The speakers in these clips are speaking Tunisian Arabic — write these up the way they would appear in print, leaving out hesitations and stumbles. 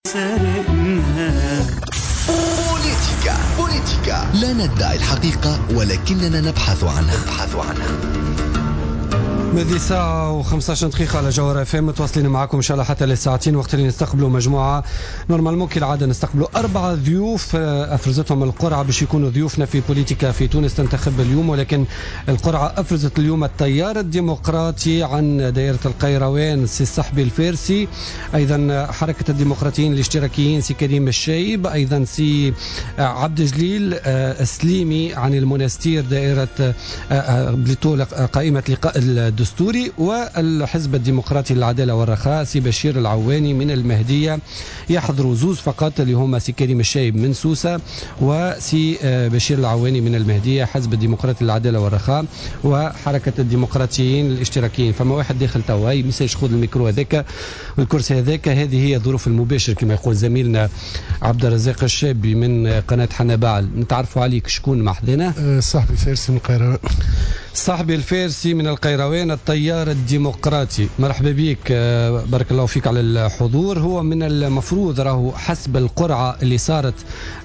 سرقنا. بوليتيكا بوليتيكا، لا ندعي الحقيقة ولكننا نبحث عنها. ماذي ساعة و15 دقيقة على جوهرة FM، متواصلين معكم إن شاء الله حتى للساعتين، وقت اللي نستقبلوا مجموعة normalement كالعادة نستقبلوا 4 ضيوف أفرزتهم القرعة باش يكونوا ضيوفنا في بوليتيكا في تونس تنتخب اليوم، ولكن القرعة أفرزت اليوم التيار الديمقراطي عن دائرة القيروان سي الصحبي الفارسي، أيضا حركة الديمقراطيين الاشتراكيين سي كريم الشايب، أيضا سي عبد الجليل السليمي عن المنستير دائرة plutôt قائمة لقاء الدستوري، والحزب الديمقراطي للعدالة والرخاء سي بشير العواني من المهدية. يحضروا زوز فقط اللي هما سي كريم الشايب من سوسة وسي بشير العواني من المهدية، حزب الديمقراطي للعدالة والرخاء وحركة الديمقراطيين الاشتراكيين. فما واحد داخل توا هاي message، خذ الميكرو هذاك والكرسي هذاك. هذه هي ظروف المباشر كما يقول زميلنا عبد الرزاق الشابي من قناة حنبعل. نتعرفوا عليك، شكون محضنا؟ صاحبي الفارسي من القيروان. صاحبي الفارسي من القيروان، التيار الديمقراطي، مرحبا بك، بارك الله فيك على الحضور. هو من المفروض راهو حسب القرعة اللي صارت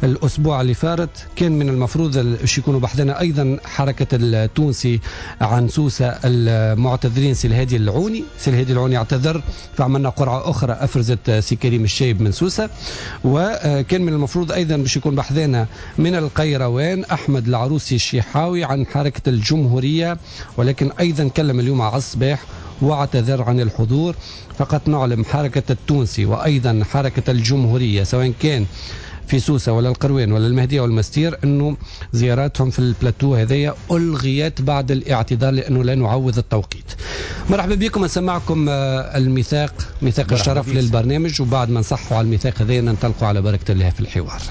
الأسبوع اللي فات كان من المفروض باش يكونوا بحذنا أيضا حركة التونسي عن سوسة المعتذرين سي الهادي العوني، سي الهادي العوني اعتذر فعملنا قرعة أخرى أفرزت سي كريم الشايب من سوسة. وكان من المفروض أيضا باش يكون بحذنا من القيروان أحمد العروسي الشيحاوي عن حركة الجمهورية، ولكن أيضا كلم اليوم على الصباح واعتذر عن الحضور. فقط نعلم حركة التونسي وأيضا حركة الجمهورية سواء كان في سوسة ولا القروان ولا المهدية والمستير أنه زياراتهم في البلاتو هذيا ألغيت بعد الاعتذار لأنه لا نعوض التوقيت. مرحبا بكم، نسمعكم الميثاق، ميثاق الشرف للبرنامج، وبعد ما نصحوا على الميثاق هذايا ننطلقوا على بركة الله في الحوار.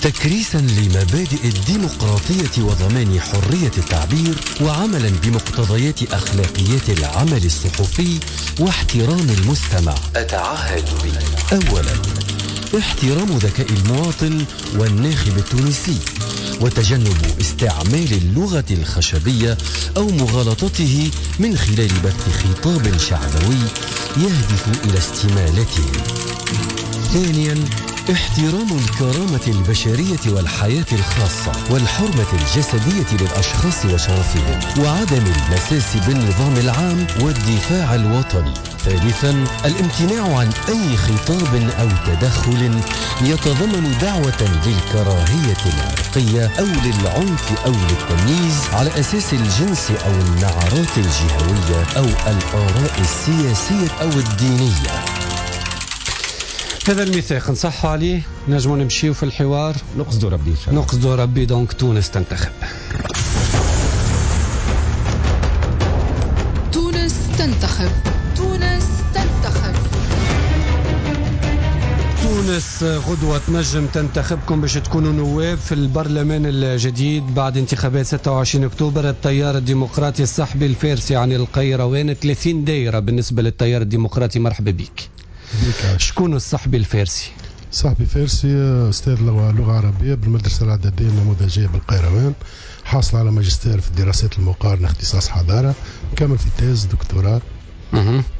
تكريسا لمبادئ الديمقراطية وضمان حرية التعبير، وعملا بمقتضيات أخلاقيات العمل الصحفي واحترام المستمع، أتعهد به: أولا، احترام ذكاء المواطن والناخب التونسي، وتجنب استعمال اللغة الخشبية أو مغالطته من خلال بث خطاب شعبوي يهدف إلى استمالته. ثانيا، احترام الكرامة البشرية والحياة الخاصة والحرمة الجسدية للأشخاص وشرفهم، وعدم المساس بالنظام العام والدفاع الوطني. ثالثا، الامتناع عن أي خطاب أو تدخل يتضمن دعوة للكراهية العرقية أو للعنف أو للتمييز على أساس الجنس أو النعرات الجهوية أو الآراء السياسية أو الدينية. هذا الميثاق نصحوا عليه، نجموا نمشيو في الحوار، نقصدوا ربي، نقصدوا ربي. donc تونس تنتخب. تونس تنتخب، تونس تنتخب. تونس غدوة تنجم تنتخبكم باش تكونوا نواب في البرلمان الجديد بعد انتخابات 26 أكتوبر. التيار الديمقراطي الصحبي الفارسي عن القيروان، 30 دائرة بالنسبة للتيار الديمقراطي. مرحبا بك. شكون الصحبي الفارسي؟ صحبي الفارسي أستاذ لغة عربية بالمدرسة الإعدادية النموذجية بالقيروان، حاصل على ماجستير في الدراسات المقارنة اختصاص حضارة، مكمل في thèse دكتوراه،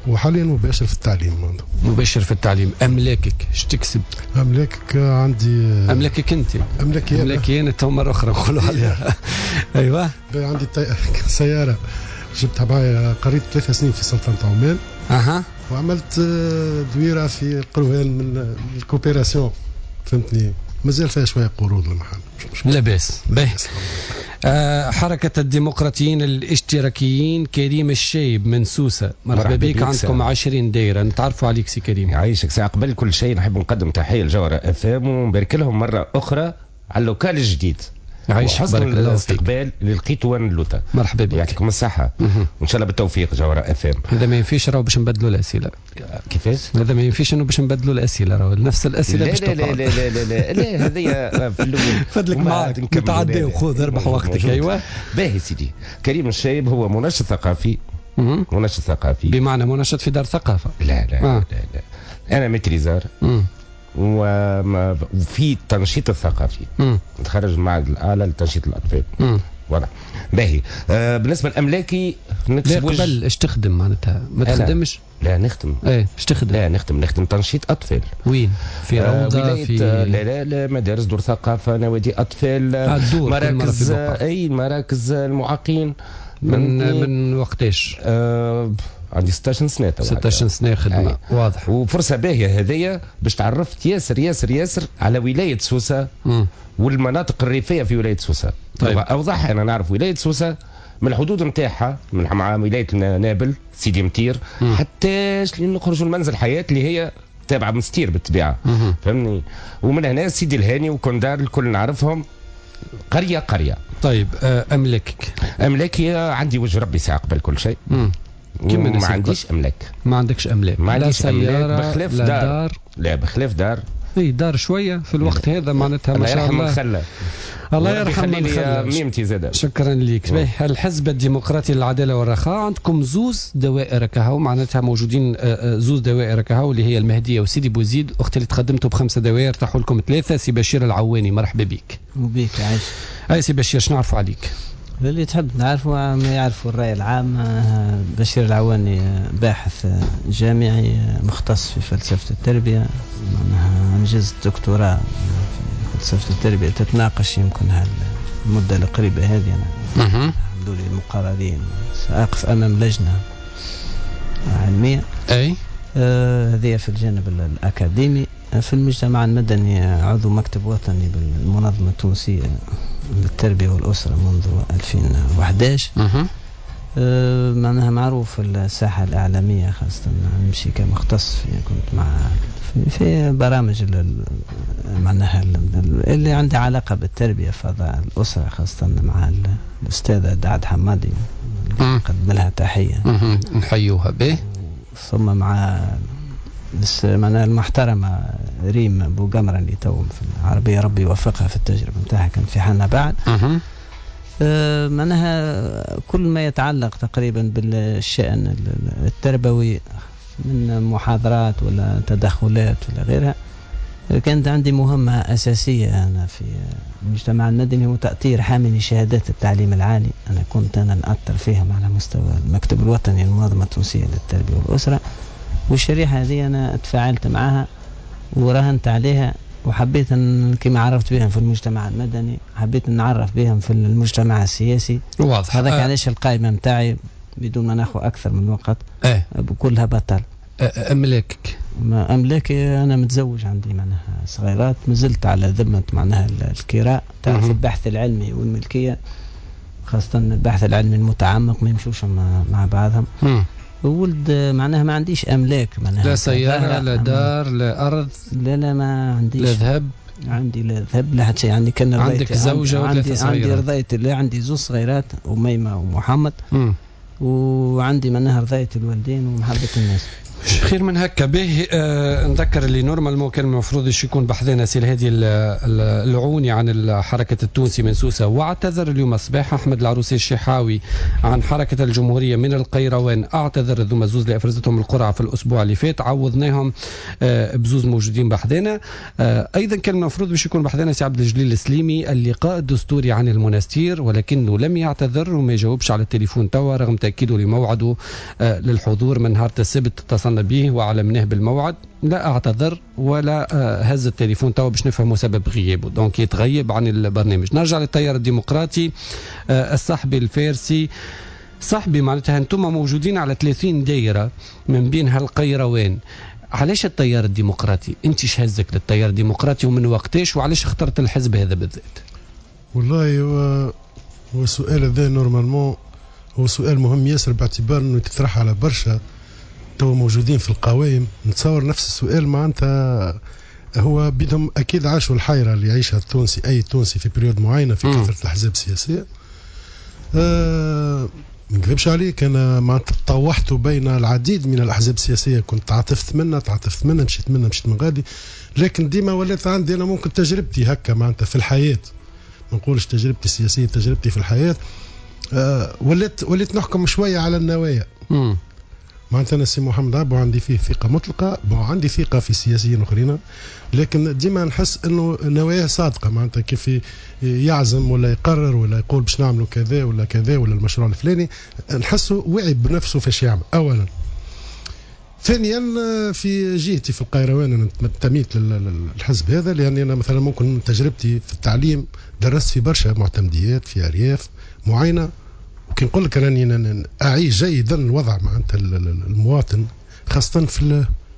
وحاليا مباشر في التعليم. مباشر في التعليم. أملاكك اش تكسب؟ أملاكك عندي، أملاكك أنت؟ أملاكي أملاكي أنا تو مرة أخرى نقولوا عليها. أيوه. عندي سيارة جبتها معايا، قريت 3 سنين في سلطنة عمان. وعملت دويرة في القروان من ال coopération، فهمتني، مازال فيها شوية قروض المحل. لاباس. باهي. حركة الديمقراطيين الاشتراكيين كريم الشايب من سوسة، مرحبا بك. عندكم 20 دائرة، نتعرفوا عليك سي كريم. يعيشك. ساعة قبل كل شيء نحب نقدم تحية لجوهرة FM ونبارك لهم مرة أخرى على ال local الجديد. عايش، بارك الله فيك. الاستقبال اللي لقيته وين اللوطه. مرحبا بك، يعطيكم الصحة وإن شاء الله بالتوفيق جوهرة FM. هذا ما ينفيش راهو باش نبدلوا الأسئلة. كيفاش؟ هذا ما ينفيش انه باش نبدلوا الأسئلة، راهو نفس الأسئلة باش لا لا لا لا لا لا لا، هذه في الأول. فضلك معاك، نتعداو، خذ اربح وقتك. أيوه. باهي سيدي، كريم الشايب هو منشط ثقافي. منشط ثقافي بمعنى منشط في دار ثقافة؟ لا لا لا لا، أنا maîtrisard وفي التنشيط الثقافي. نتخرج من المعهد الأعلى لتنشيط الأطفال. voilà باهي. بالنسبة لاملاكي نكسب وجه. قبل ايش تخدم معناتها؟ ما تخدمش؟ لا نخدم. ايه ايش تخدم؟ لا نخدم تنشيط اطفال. وين؟ في روضة؟ في لا لا لا، مدارس، دور ثقافة، نوادي اطفال، مراكز، اي مراكز المعاقين. من وقتاش؟ عندي 16 سنة توا. 16 سنة خدمة. واضح. وفرصه باهيه هذيا باش تعرفت ياسر ياسر ياسر على ولاية سوسة والمناطق الريفية في ولاية سوسة. طيب. اوضح، انا نعرف ولاية سوسة من الحدود نتاعها من مع ولاية نابل، سيدي مطير، حتى نخرجوا لمنزل حياة اللي هي تابعه مستير بالطبيعة، فهمني؟ ومن هنا سيدي الهاني وكندار الكل نعرفهم قرية قرية. طيب املاكك؟ املاكي عندي وجه ربي ساعة قبل كل شيء. ما عنديش املاك. ما عندكش املاك؟ ما عنديش املاك بخلاف دار. لا بخلاف دار. اي دار شوية في الوقت هذا معناتها ما شاء الله. الله يرحم من خلى. ميمتي زاد. شكرا لك. الحزب الديمقراطي للعدالة والرخاء عندكم زوز دوائر كهو، معناتها موجودين زوز دوائر كهو اللي هي المهدية وسيدي بوزيد. اختي اللي تقدمتوا بخمسة دوائر طاحوا لكم 3. سي بشير العواني مرحبا بك. وبيك عايش. اي سي بشير شنو نعرفوا عليك؟ اللي تحب نعرفه ما يعرفوا الرأي العام. بشير العواني باحث جامعي مختص في فلسفة التربية، معناها أنجزت دكتوراه في فلسفة التربية تتناقش يمكن المدة القريبة هذه. أنا الحمد لله المقررين سأقف أمام لجنة علمية. أي هذه في الجانب الأكاديمي. في المجتمع المدني عضو مكتب وطني بالمنظمة التونسية للتربية والأسرة منذ 2011. معناها معروف في الساحة الإعلامية، خاصة نمشي كمختص في كنت مع في برامج معناها اللي عندها علاقة بالتربية فضاء الأسرة، خاصة مع الأستاذة دعد حمادي نقدم لها تحية نحيوها به. ثم مع بس معناها المحترمة ريم بوقمرة اللي تو في العربية ربي يوفقها في التجربة نتاعها كانت في حالنا بعد. معناها كل ما يتعلق تقريبا بالشأن التربوي من محاضرات ولا تدخلات ولا غيرها. كانت عندي مهمة أساسية أنا في المجتمع المدني هو تأطير حاملي شهادات التعليم العالي. أنا كنت نأطر فيهم على مستوى المكتب الوطني للمنظمة التونسية للتربية والأسرة، والشريحة هذه أنا تفاعلت معها وراهنت عليها، وحبيت أن كما عرفت بهم في المجتمع المدني حبيت أن نعرف بهم في المجتمع السياسي. واضح. هذاك علاش القائمة متاعي بدون ما ناخذ أكثر من وقت كلها بطل. أملاكك؟ أملاكي أنا متزوج، عندي معناها صغيرات، مازلت على ذمة معناها الكراء. تعرف البحث العلمي والملكية خاصة البحث العلمي المتعمق ما يمشوش مع بعضهم. ولد معناها ما عنديش أملاك، معناها لا سيارة لا دار لا أرض. لا لا ما عنديش. لا ذهب. عندي لا ذهب لا حتى شيء. عندي كان عندك زوجة وثلاثة صغيرات. عندي رضاية الله، عندي زوج صغيرات أميمة ومحمد. وعندي معناها رضاية الوالدين ومحبة الناس. خير من هكا به. نذكر اللي normalement كان المفروض يكون بحذانا سي الهادي العوني عن الحركة التونسي من سوسة، واعتذر اليوم الصباح. أحمد العروسي الشحاوي عن حركة الجمهورية من القيروان اعتذر. ذو زوز اللي أفرزتهم القرعة في الأسبوع اللي فات عوضناهم بزوز موجودين بحذانا. أيضا كان المفروض باش يكون بحذانا سي عبد الجليل السليمي اللقاء الدستوري عن المنستير، ولكنه لم يعتذر وما يجاوبش على التليفون توا رغم تأكيده لموعده للحضور من نهار السبت. اتصلنا به وعلمناه بالموعد، لا اعتذر ولا هز التليفون توا باش نفهموا سبب غيابه، donc يتغيب عن البرنامج. نرجع للتيار الديمقراطي. الصحبي الفارسي، صحبي معناتها انتم موجودين على 30 دائرة من بينها القيروان. علاش التيار الديمقراطي؟ انت اش هزك للتيار الديمقراطي ومن وقتاش، وعلاش اخترت الحزب هذا بالذات؟ والله هو السؤال هذا normalement هو سؤال مهم ياسر، باعتبار انه يتطرح على برشا تو موجودين في القوائم. نتصور نفس السؤال معناتها هو بدهم اكيد عاشوا الحيرة اللي يعيشها التونسي، اي تونسي في période معينة في كثرة الاحزاب السياسية. ما نكذبش عليك، انا معناتها تطوحت بين العديد من الاحزاب السياسية، كنت تعاطفت منها مشيت منها مشيت من غادي، لكن ديما ولات عندي انا ممكن تجربتي هكا معناتها في الحياة، ما نقولش تجربتي السياسية، تجربتي في الحياة. وليت نحكم شوية على النوايا. معناتها انا سي محمد عبو عندي فيه ثقة مطلقه، عندي ثقة في السياسيين الاخرين، لكن ديما نحس انه نواياه صادقة، معناتها كيف يعزم ولا يقرر ولا يقول باش نعملوا كذا ولا كذا ولا المشروع الفلاني، نحسه واعي بنفسه فاش يعمل. اولا. ثانيا في جهتي في القيروان انا انتميت للحزب هذا، لاني انا مثلا ممكن تجربتي في التعليم درست في برشا معتمديات في ارياف معينة، وكي نقول لك راني اعيش جيدا الوضع معناتها المواطن، خاصة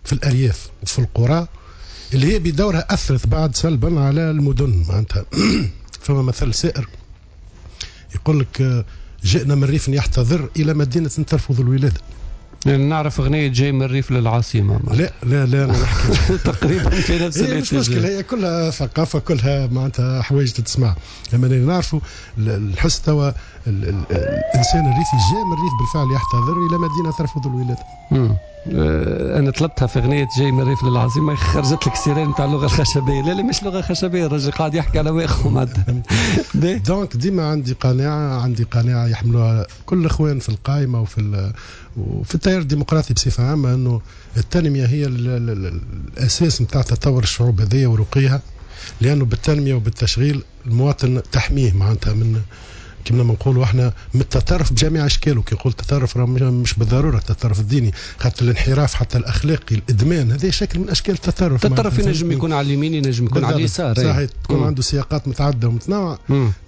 في الارياف وفي القرى اللي هي بدورها اثرت بعد سلبا على المدن معناتها. فما مثل سائر يقول لك جئنا من ريف يحتضر الى مدينة ترفض الولادة. يعني نعرف اغنية جاي من الريف للعاصمه. لا لا لا انا نحكي تقريبا في نفس الاتجاه. مش مشكلة، هي كلها ثقافة، كلها معناتها حوايج تتسمع. لما نعرفوا الحس توا الانسان الريفي جاي من الريف بالفعل يحتضر الى مدينة ترفض الولادة. انا طلبتها في اغنية جاي من الريف للعاصمه، خرجت لك sirène نتاع اللغة الخشبية. لا لا مش لغة خشبيه، الراجل قاعد يحكي على واقعه معناتها. donc ديما عندي قناعة، عندي قناعة يحملوها كل الاخوان في القائمة وفي التيار الديمقراطي بصفة عامة، انه التنمية هي الاساس نتاع تطور الشعوب هذيا ورقيها، لانه بالتنميه وبالتشغيل المواطن تحميه معناتها من كما نقولوا احنا من التطرف بجميع اشكاله. كي نقول تطرف راه مش بالضرورة التطرف الديني، خاطر الانحراف حتى الاخلاقي، الادمان، هذا شكل من اشكال التطرف. التطرف ينجم يكون على اليمين، ينجم يكون على اليسار، صحيح، تكون عنده سياقات متعددة ومتنوعة.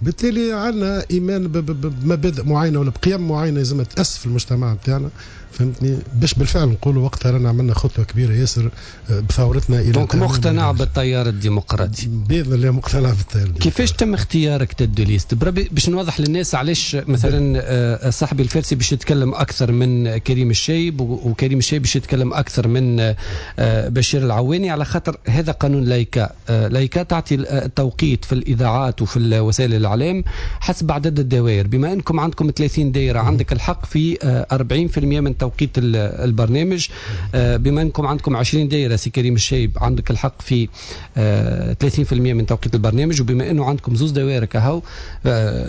بالتالي عندنا ايمان بمبادئ معينة ولا بقيم معينة لازم تاسس في المجتمع نتاعنا، فهمتني، باش بالفعل نقولوا وقتها رانا عملنا خطوة كبيرة ياسر بثورتنا الى donc مقتنع بالتيار الديمقراطي. باذن الله مقتنع بالتيار الديمقراطي. كيفاش تم اختيارك tête de liste؟ بربي باش نوضح للناس علاش مثلا صاحبي الفارسي باش يتكلم اكثر من كريم الشايب، وكريم الشايب باش يتكلم اكثر من بشير العواني، على خاطر هذا قانون لايكا. لايكا تعطي التوقيت في الاذاعات وفي وسائل الاعلام حسب عدد الدوائر. بما انكم عندكم 30 دائرة عندك الحق في 40% من توقيت البرنامج. بما انكم عندكم 20 دائرة سي كريم الشايب عندك الحق في 30% من توقيت البرنامج، وبما انه عندكم زوز دوائر كهو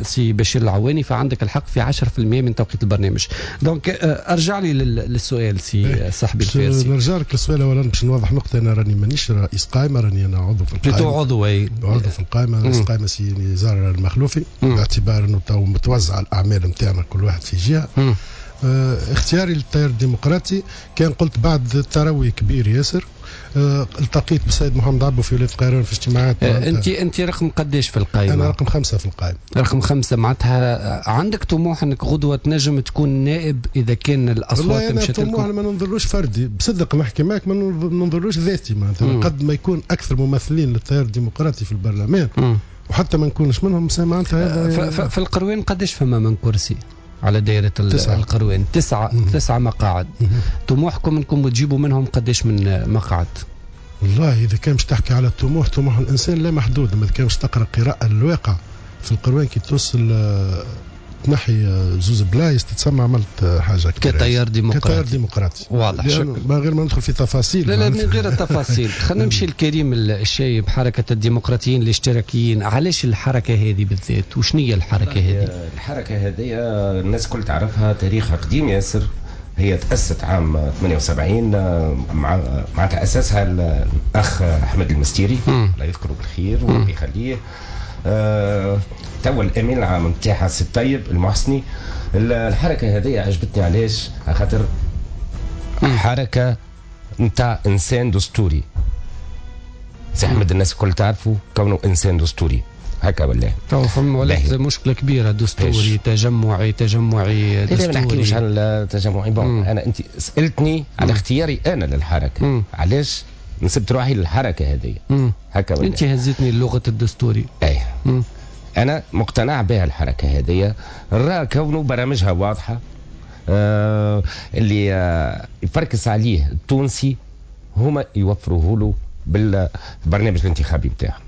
سي بشير العواني فعندك الحق في 10% من توقيت البرنامج. donc ارجع لي للسؤال سي صاحبي الفارسي. نرجع لك للسؤال اولا باش نوضح نقطة، انا راني مانيش رئيس قائمة، راني انا عضو في القائمة. عضو اي عضو في القائمة، رئيس قائمة سي نزار المخلوفي، باعتبار انه تو متوزع الاعمال نتاعنا كل واحد في جهة. اختياري للتيار الديمقراطي كان قلت بعد تروي كبير ياسر، التقيت بالسيد محمد عبو في ولاية القيروان في اجتماعات. انت رقم قداش في القائمة؟ انا رقم 5 في القائمة. رقم 5 معناتها عندك طموح انك غدوه تنجم تكون نائب اذا كان الاصوات مشات لكم؟ والله انا طموح ما ننظرلوش فردي، بصدق نحكي معك ما ننظرلوش ذاتي معناتها. قد ما يكون اكثر ممثلين للتيار الديمقراطي في البرلمان وحتى ما نكونش منهم معناتها. في القروان قداش فما من كرسي على دائرة القروان؟ 9 مقاعد. طموحكم انكم تجيبوا منهم قداش من مقعد؟ والله اذا كان باش تحكي على الطموح، طموح الانسان لا محدود. اما اذا كان باش تقرا قراءة للواقع في القروان كي توصل تنحي زوز بلايص تتسمى عملت حاجة كبيرة كتيار ديمقراطي. كتيار ديمقراطي واضح. من غير ما ندخل في تفاصيل. لا لا من غير التفاصيل. خلينا نمشي لكريم الشايب، حركة الديمقراطيين الاشتراكيين. علاش الحركة هذه بالذات؟ وشنو هي الحركة هذه؟ الحركة هذه الناس كل تعرفها، تاريخها قديم ياسر. هي تأسست عام 78 معناتها أسسها الأخ أحمد المستيري، الله يذكره بالخير وربي يخليه. توا الامين العام نتاعها سي الطيب المحسني. الحركة هذه عجبتني علاش؟ خاطر حركة نتاع انسان دستوري. سي احمد الناس الكل تعرفوا كونه انسان دستوري هكا ولا؟ تو فما ولات مشكلة كبيرة، دستوري تجمعي تجمعي دستوري. لا ما نحكيوش على التجمعي. bon انا انت سالتني على اختياري انا للحركة، علاش نسبت روحي للحركة هذه هكا ولا؟ انت هزتني لغة الدستوري. اي انا مقتنع بها الحركة هذه، راه كونه برامجها واضحة، اللي يفركس عليه التونسي هما يوفروه له بالبرنامج الانتخابي نتاعهم.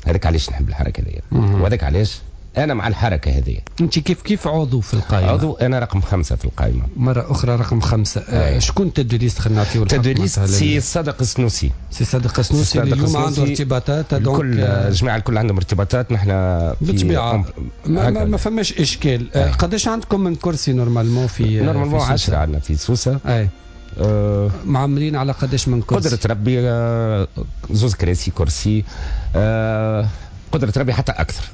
هذاك علاش نحب الحركة هذه، وهذاك علاش انا مع الحركة هذه. انت كيف عضو في القائمة؟ عضو انا رقم 5 في القائمة. مرة اخرى رقم 5. شكون tête de liste؟ خلينا نعطيو tête de liste سي صادق السنوسي. سي صادق السنوسي اللي اليوم عنده ارتباطات، الكل الجماعة الكل عندهم ارتباطات. نحن بالطبيعة ما فماش اشكال. قداش عندكم من كرسي normalement في normalement 10 عندنا في سوسة. اي معمرين على قداش من كرسي؟ قدرة ربي زوز كراسي كرسي، قدرة ربي حتى اكثر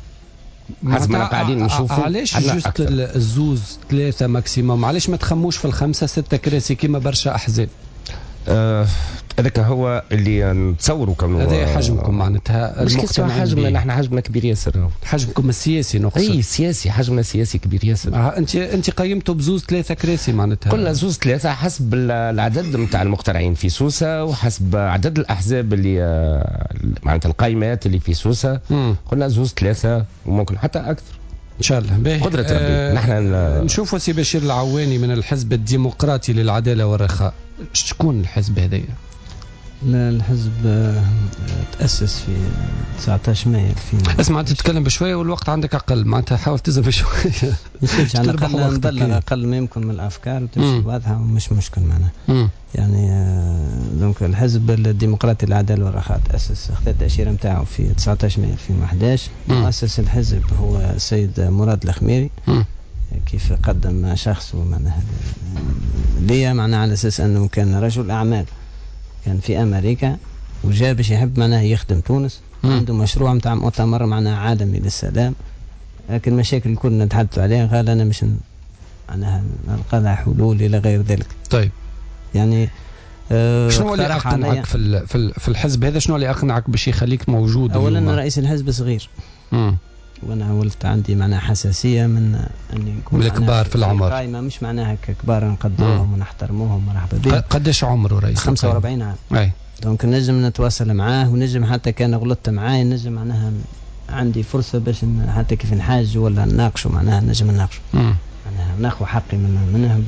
حسب ما قاعدين نشوفوا. علاش juste الزوز 3 maximum؟ علاش ما تخموش في 5 6 كراسي كيما برشا احزاب؟ هذاك هو اللي نتصوروا كونه هذا حجمكم معناتها. مش حجمنا، نحن حجمنا كبير ياسر. حجمكم السياسي نقصد. اي سياسي، حجمنا السياسي كبير ياسر. انت قيمته بزوز 3 كراسي معناتها. قلنا زوز 3 حسب العدد نتاع المقترعين في سوسة وحسب عدد الاحزاب اللي معناتها القائمات اللي في سوسة. قلنا زوز 3 وممكن حتى اكثر ان شاء الله. قدرة ربي. نحن نشوفوا سي بشير العواني من الحزب الديمقراطي للعدالة والرخاء. شكون الحزب هذايا؟ الحزب تأسس في 19 مايو 2000. اسمع انت تتكلم بشوية والوقت عندك اقل، معناتها حاول تزم شوية. مش على الاقل نبلغ اقل ما يمكن من الافكار وتمشي واضحة ومش مشكل معناها. يعني donc الحزب الديمقراطي للعدالة والرخاء تأسس، اخذ التأشيرة نتاعو في 19 مايو 2011. مؤسس الحزب هو السيد مراد الخميري. كيف قدم شخصه معناها ليا، معناها على اساس انه كان رجل اعمال كان في امريكا وجاء باش يحب معناها يخدم تونس. عنده مشروع نتاع مؤتمر معناها عالمي للسلام، لكن المشاكل الكل نتحدث عليها قال انا مش معناها نلقى لها حلول الى غير ذلك. طيب يعني شنو اللي اقنعك في الحزب هذا؟ شنو اللي اقنعك باش يخليك موجود؟ اولا رئيس الحزب صغير. وانا ولت عندي معناها حساسية من اني نكون الكبار في العمر. قائمة مش معناها كبار نقدروهم ونحترموهم مرحبا بهم. قداش عمره رئيس؟ 45 عام. اي donc نجم نتواصل معاه، ونجم حتى كان غلطت معاه نجم معناها عندي فرصة باش حتى كيف نحاج ولا نناقشه معناها نجم نناقشه. معناها ناخذ حقي منها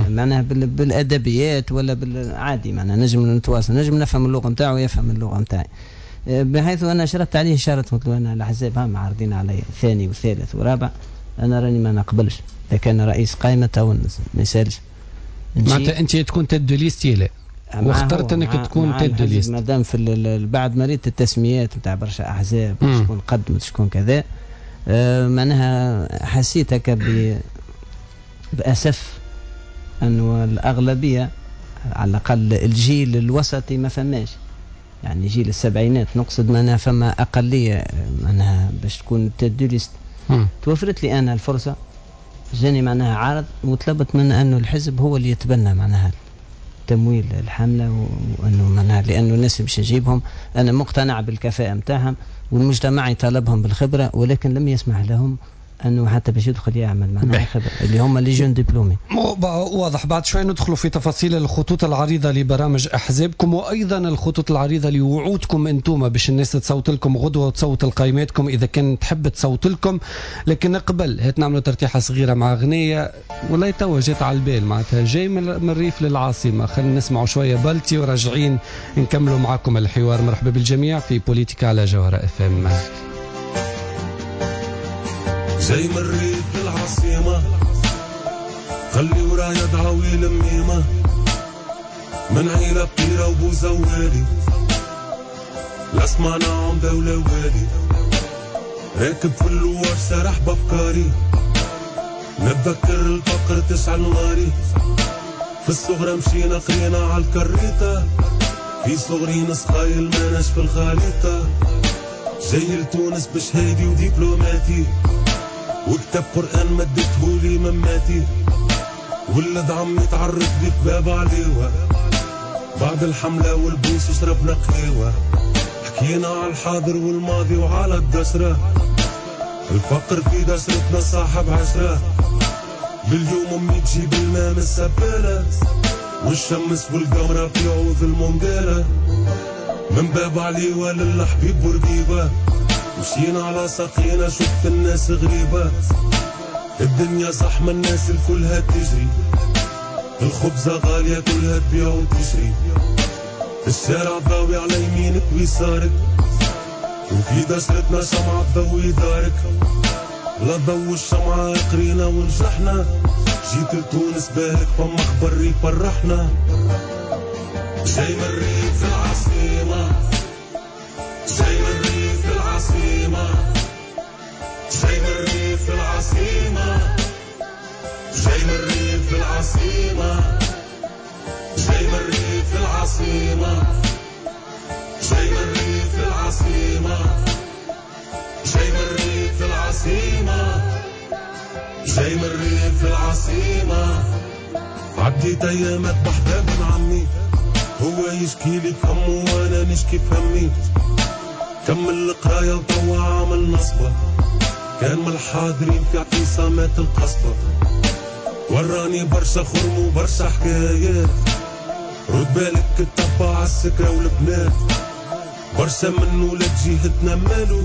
معناها بالادبيات ولا بالعادي، معناها نجم نتواصل، نجم نفهم اللغة نتاعو ويفهم اللغة نتاعي. بحيث انا شرطت عليه شرط، قلت له انا الاحزاب هم عارضين علي ثاني وثالث ورابع، انا راني ما نقبلش اذا كان رئيس قائمة تو ما يسالش. معناتها انت تكون tête de liste لا واخترت انك تكون tête de liste مادام في بعد ما ريت التسميات نتاع برشا احزاب شكون قدمت شكون كذا، معناها حسيت هكا باسف انه الاغلبية على الاقل الجيل الوسطي ما فماش، يعني جيل السبعينات نقصد، معناها فما اقلية معناها باش تكون tête de liste. توفرت لي انا الفرصة، جاني معناها عرض وطلبت من انه الحزب هو اللي يتبنى معناها تمويل الحملة، وانه معناها لانه الناس باش نجيبهم انا مقتنع بالكفاءه نتاعهم والمجتمع يطالبهم بالخبرة، ولكن لم يسمح لهم انه حتى باش يدخل يعمل معناها خبره اللي هما les jeunes diplômés. واضح. بعد شوي ندخلوا في تفاصيل الخطوط العريضة لبرامج احزابكم وايضا الخطوط العريضة لوعودكم انتم باش الناس تصوت لكم غدوه وتصوت لقائماتكم اذا كان تحب تصوت لكم. لكن قبل هات نعملوا ترتيحه صغيرة مع غنية والله توا جات على البال، معناتها جاي من الريف للعاصمه. خلينا نسمعوا شوية بلتي وراجعين نكملوا معكم الحوار. مرحبا بالجميع في بوليتيكا على جوهرة اف ام. جاي من الريف للعاصمة، خلي ورايا دعاوي لميمة، من عيلة بطيرة وبوزوالي، لا سمعنا عمدة ولا والي، راكب في اللوار سارح بأفكاري، نتذكر الفقر تشعل ناري، في الصغرى مشينا قرينا عالكريطة، في صغري نسخايل ماناش في الخريطة، جاي لتونس بشهادي ودبلوماتي، وكتاب قرآن مدتهولي مماتي، ولد عمي تعرف لي باب عليوة، بعد الحملة والبوس شربنا قهوة، حكينا على الحاضر والماضي وعلى الدشرة، الفقر في دشرتنا صاحب عشرة، لليوم أمي تجيب الماء من السبالة، والشمس والقمرة في عوض المنقالة، من باب عليوة للحبيب بورقيبة، مشينا على ساقينا شفت الناس غريبة، الدنيا زحمة الناس الكلها تجري، الخبزة غالية كلها تبيع وتشري، الشارع ضاوي على يمينك ويسارك، وفي دشرتنا شمعة تضوي دارك، لا ضو الشمعة قرينا ونجحنا، جيت لتونس بالك فما خبر يفرحنا. جاي من الريف العاصمة، جاي من الريف العاصمة، جاي من الريف العاصمة، جاي من الريف العاصمة، جاي من الريف العاصمة، جاي من الريف العاصمة، جاي من الريف العاصمة، جاي من الريف العاصمة. عديت ايامات بحذا بن عمي، هو يشكي لي فمه وانا نشكي فمي. كمل القراية وتوا عامل نصبة، كان من الحاضرين في اعتصامات القصبة. وراني برشا خرم وبرشا حكايات، رد بالك تتبع السكرة والبنات. برشا من ولاد جهتنا مالو،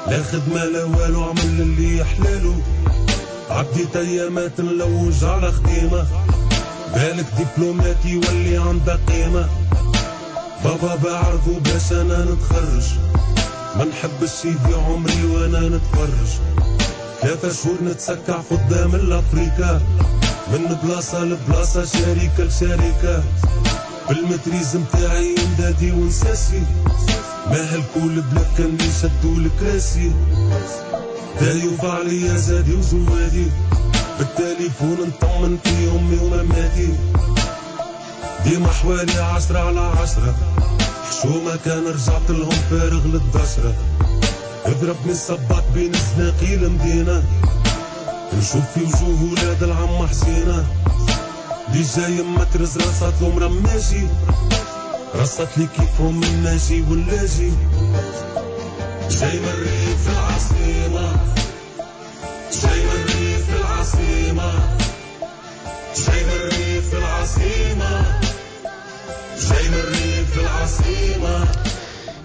لا خدمة لا والو، عمل اللي يحلالو. عديت ايامات نلوج على خديمة، بالك دبلوماتي يولي عندها قيمة. بابا بعرضو باش انا نتخرج، ما نحبش يضيع عمري وانا نتفرج. 3 شهور نتسكع قدام الافريكا، من بلاصة لبلاصة شركة لشركة. بال maîtrise متاعي ندادي ونساسي، ما هلكوا البلاد كان اللي شدوا الكراسي. دايوف عليا زادي وزوادي، بالتليفون نطمن في امي ومماتي. ديما حوالي 10 على 10، حشومة كان رجعت لهم فارغ للدشرة. اضربني الصباط بين الزناقي المدينة، نشوف في وجوه ولاد العم حسينة. اللي جاي مترز رصات لهم رماجي، رصات لي كيفهم الناجي واللاجي. جاي من الريف العاصمة، جاي من الريف العاصمة، جاي من الريف العاصمة، جاي من الريف العاصمة،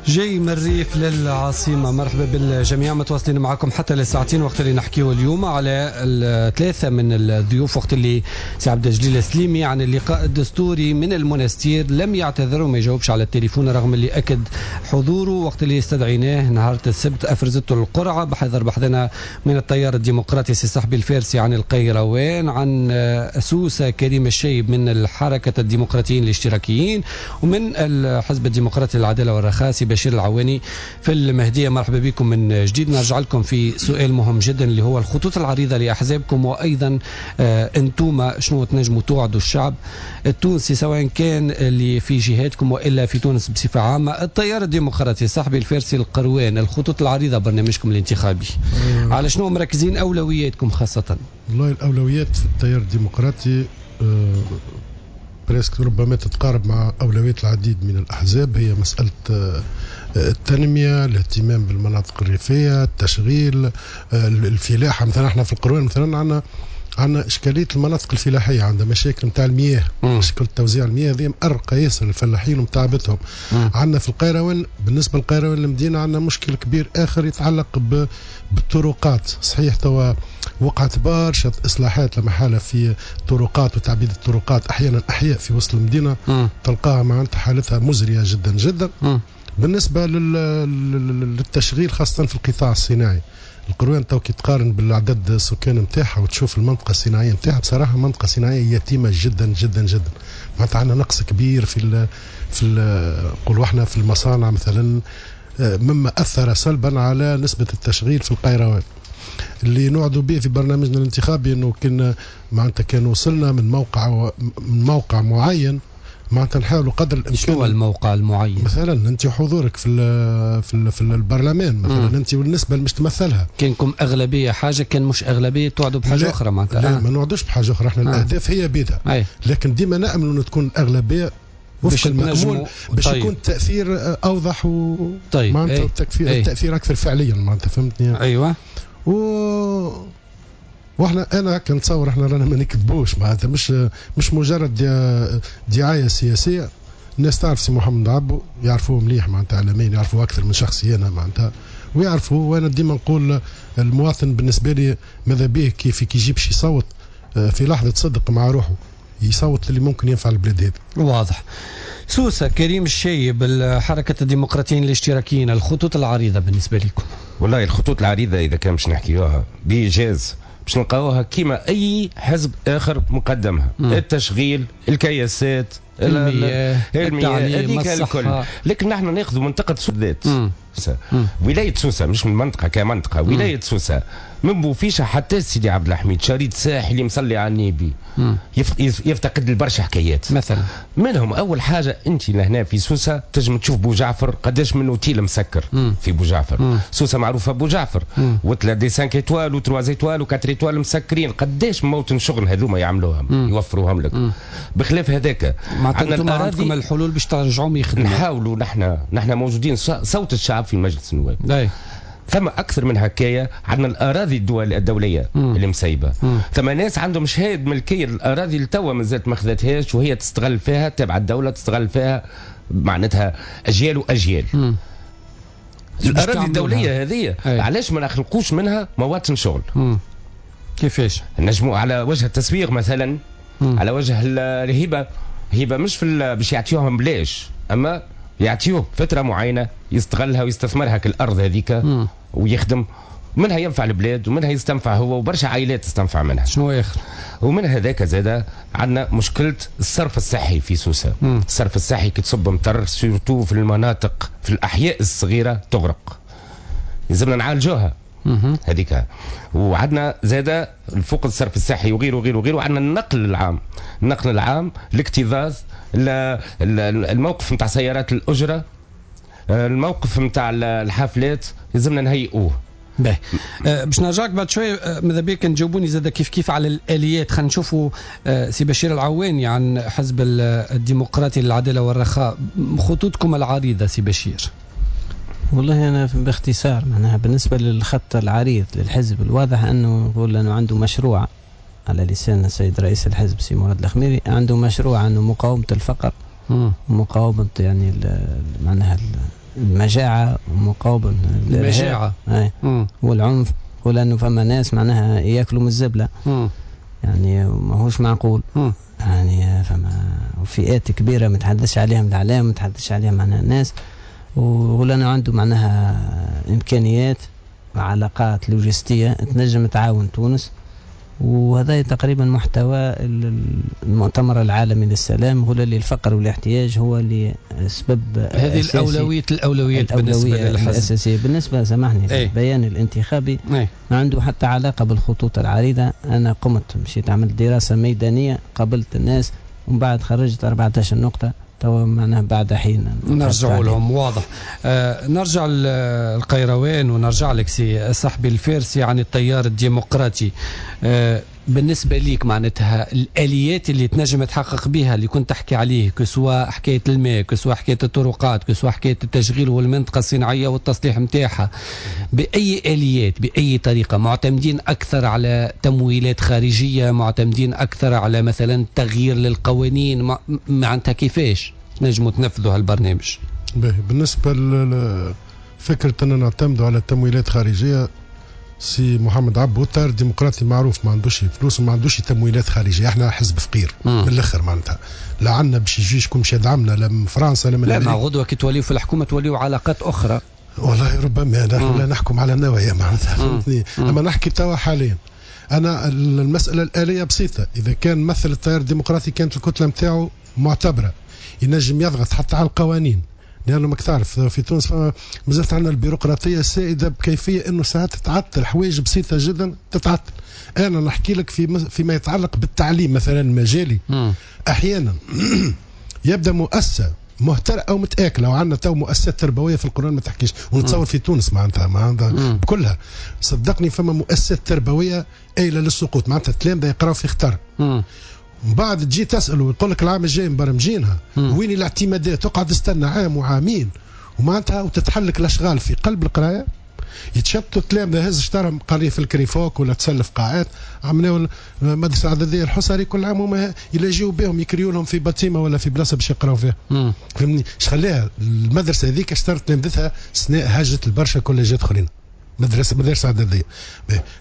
جاي من الريف للعاصمة. مرحبا بالجميع، متواصلين معكم حتى لساعتين وقت اللي نحكيه اليوم على 3 من الضيوف. وقت اللي سي عبد الجليل السليمي عن اللقاء الدستوري من المنستير لم يعتذر وما يجاوبش على التليفون رغم اللي أكد حضوره وقت اللي استدعيناه نهار السبت أفرزته القرعة. بحذر بحثنا من التيار الديمقراطي سي صحبي الفارسي عن القيروان، عن سوسة كريم الشيب من الحركة الديمقراطيين الاشتراكيين، ومن الحزب الديمقراطي العدالة والرخاء سي بشير العواني في المهدية. مرحبا بكم من جديد. نرجع لكم في سؤال مهم جدا اللي هو الخطوط العريضة لأحزابكم، وأيضا أنتم شنو تنجموا توعدوا الشعب التونسي سواء كان اللي في جهاتكم وإلا في تونس بصفة عامة. التيار الديمقراطي صاحبي الفارسي القروان، الخطوط العريضة برنامجكم الانتخابي على شنو مركزين أولوياتكم خاصة؟ والله الأولويات في التيار الديمقراطي presque ربما تتقارب مع أولويات العديد من الأحزاب، هي مسألة التنمية، الاهتمام بالمناطق الريفية، التشغيل، الفلاحة. مثلا احنا في القروان مثلا عندنا إشكالية المناطق الفلاحية، عندنا مشاكل نتاع المياه، مشكلة توزيع المياه هذه مأرقة ياسر الفلاحين ومتعبتهم. عندنا في القيروان، بالنسبة للقيروان المدينة، عندنا مشكل كبير آخر يتعلق بالطرقات. صحيح توا وقعت برشا إصلاحات لما حالة في الطرقات وتعبيد الطرقات، أحيانا أحياء في وسط المدينة تلقاها معناتها حالتها مزرية جدا جدا. بالنسبة للتشغيل خاصة في القطاع الصناعي، القروان تو كي تقارن بالعدد السكان نتاعها وتشوف المنطقة الصناعية نتاعها، بصراحة منطقة صناعية يتيمة جدا جدا جدا. معناتها عندنا نقص كبير في نقولوا احنا في المصانع مثلا، مما اثر سلبا على نسبه التشغيل في القيروان. اللي نوعدوا به في برنامجنا الانتخابي انه كنا معناتها كان وصلنا من موقع معين، معناتها نحاولوا قدر الامكان. شنو الموقع المعين؟ مثلا انت حضورك في البرلمان مثلا، انت والنسبه اللي مش تمثلها. كانكم اغلبية حاجة، كان مش اغلبية توعدوا بحاجة اخرى معناتها. لا ما نوعدوش بحاجة اخرى، احنا الاهداف هي بيدها، لكن ديما نامل انه تكون الاغلبية وفق المأمول باش يكون التاثير اوضح و طيب. معناتها التاثير اكثر فعليا معناتها، فهمتني؟ ايوه. واحنا انا كنتصور احنا رانا ما نكذبوش معناتها، مش مجرد دعاية سياسية. الناس تعرف سي محمد عبو، يعرفوه مليح معناتها اعلاميا، يعرفوه اكثر من شخصي انا معناتها، ويعرفوه. وانا ديما نقول المواطن بالنسبة لي ماذا به كيف كي يجيبش يصوت في لحظة صدق مع روحه، يصوت اللي ممكن ينفع البلاد هذه. واضح. سوسة كريم الشايب، الحركة الديمقراطيين الاشتراكيين، الخطوط العريضة بالنسبة لكم. والله الخطوط العريضة اذا كان باش نحكيوها بايجاز باش نلقاوها كيما اي حزب اخر مقدمها. التشغيل، الكياسات، المياه، التعليم، الصحة. لكن نحن ناخذ منطقة سوسة بالذات. ولاية سوسة مش من منطقة كمنطقة، ولاية سوسة من بوفيشة حتى سيدي عبد الحميد، شريط ساحلي مصلي على النبي، يفتقد لبرشا حكايات. مثلا منهم اول حاجة انت لهنا في سوسة تنجم تشوف بوجعفر قداش من اوتيل مسكر. في بوجعفر. سوسة معروفة بوجعفر، وتلا des 5 étoiles و 3 étoiles و 4 étoiles مسكرين، قداش موطن شغل هذوما يعملوهم، يوفروهم لك. بخلاف هذاك عندنا عندكم الحلول باش ترجعوهم يخدموا. نحاولوا نحن موجودين صوت الشعب في مجلس النواب. ثم اكثر من هكايا عندنا الاراضي الدولية اللي مسيبه. ثم ناس عندهم شهادة ملكية الاراضي اللي توا مازالت ما خذتهاش وهي تستغل فيها، تابعه الدولة تستغل فيها معناتها اجيال واجيال. الاراضي الدولية هذه علاش ما نخلقوش منها مواطن شغل؟ كيفاش؟ نجموا على وجه التسويق مثلا، على وجه الهبة. هبه مش في باش يعطيوهم بلاش، اما يعطيوه فترة معينة يستغلها ويستثمرها كالارض هذيك ويخدم منها، ينفع البلاد ومنها يستنفع هو وبرشا عائلات تستنفع منها. شنو اخر؟ ومن هذاك زاده عندنا مشكلة الصرف الصحي في سوسة. الصرف الصحي كي تصب مطر surtout في المناطق في الاحياء الصغيرة تغرق، لازمنا نعالجوها هذيك. وعندنا زاده فوق الصرف الصحي وغيره وغيره وغيره عندنا النقل العام. النقل العام، الاكتظاظ، الموقف نتاع سيارات الاجرة، الموقف نتاع الحافلات، لازمنا نهيئوه. باهي، باش نرجعك بعد شوي، ماذا بيك نجاوبوني زاد كيف كيف على الاليات. خلينا نشوفوا سي بشير العواني عن حزب الديمقراطي للعدالة والرخاء، خطوطكم العريضة سي بشير. والله أنا باختصار معناها بالنسبة للخط العريض للحزب الواضح أنه نقول أنه عنده مشروع على لسان السيد رئيس الحزب سي مراد الخميري، عنده مشروع أنه مقاومة الفقر، مقاومة يعني معناها المجاعة، ومقاومة المجاعة والعنف، ولأنه فما ناس معناها ياكلوا من الزبلة، يعني ماهوش معقول. يعني فما فئات كبيرة ما تحدثش عليهم الإعلام، ما تحدثش عليهم معناها الناس، ولأنه عنده معناها إمكانيات وعلاقات لوجستية تنجم تعاون تونس. وهذا تقريبا محتوى المؤتمر العالمي للسلام، هو اللي الفقر والاحتياج هو اللي سبب هذه الأولويات بالنسبة للحزب الأساسية. بالنسبة سامحني البيان الانتخابي ما عنده حتى علاقة بالخطوط العريضة. أنا قمت مشيت عملت دراسة ميدانية، قابلت الناس، ومن بعد خرجت 14 نقطة توا معناها بعد حين نرجع لهم. واضح. نرجع للقيروان ونرجع لك سي صاحبي الفارسي عن التيار الديمقراطي. بالنسبة ليك معناتها الآليات اللي تنجم تحقق بها اللي كنت تحكي عليه، que ce soit حكاية الماء، que ce soit حكاية الطرقات، que ce soit حكاية التشغيل والمنطقة الصناعية والتصليح متاعها، بأي آليات بأي طريقة؟ معتمدين أكثر على تمويلات خارجية، معتمدين أكثر على مثلا تغيير للقوانين، معناتها كيفاش نجموا تنفذوا هالبرنامج؟ بالنسبة لفكرة أننا نعتمدوا على تمويلات خارجية، سي محمد عبو التيار الديمقراطي معروف ما عندوش فلوس وما عندوش تمويلات خارجية. احنا حزب فقير من الاخر، معناتها لا عندنا باش يجي شكون باش يدعمنا لا من فرنسا لا من لا. ما غدوه كي توليو في الحكومة توليو علاقات اخرى. والله ربما نحن لا نحكم على النوايا معناتها، فهمتني. اما نحكي توا حاليا انا المسالة الالية بسيطة. اذا كان مثل التيار الديمقراطي كانت الكتلة نتاعو معتبره ينجم يضغط حتى على القوانين، لأنه ماك تعرف في تونس مازالت عندنا البيروقراطية السائدة بكيفية أنه ساعات تتعطل حوايج بسيطة جدا تتعطل. أنا نحكي لك فيما يتعلق بالتعليم مثلا المجالي. أحيانا يبدأ مؤسسة مهترئة أو متآكلة، وعندنا تو مؤسسات تربوية في القرآن ما تحكيش، ونتصور في تونس معناتها بكلها صدقني فما مؤسسات تربوية قايلة للسقوط، معناتها التلامذة يقراو في خطر. من بعد تجي تسأل ويقول لك العام الجاي مبرمجينها، وين الاعتمادات؟ تقعد تستنى عام وعامين ومعناتها وتتحلك الاشغال في قلب القراية، يتشتوا التلامذه، هز شطرهم قارية في الكريفوك ولا تسلف قاعات. عملوا المدرسة العدديه الحصري كل عام هما يلاجيو بهم يكريوا لهم في باتيمه ولا في بلاصة باش يقراو فيها. فهمني؟ اش خلاها المدرسة هذيك اشترت تلامذتها سناء هجت البرشا كوليجات اخرين. مدارس اعدادية.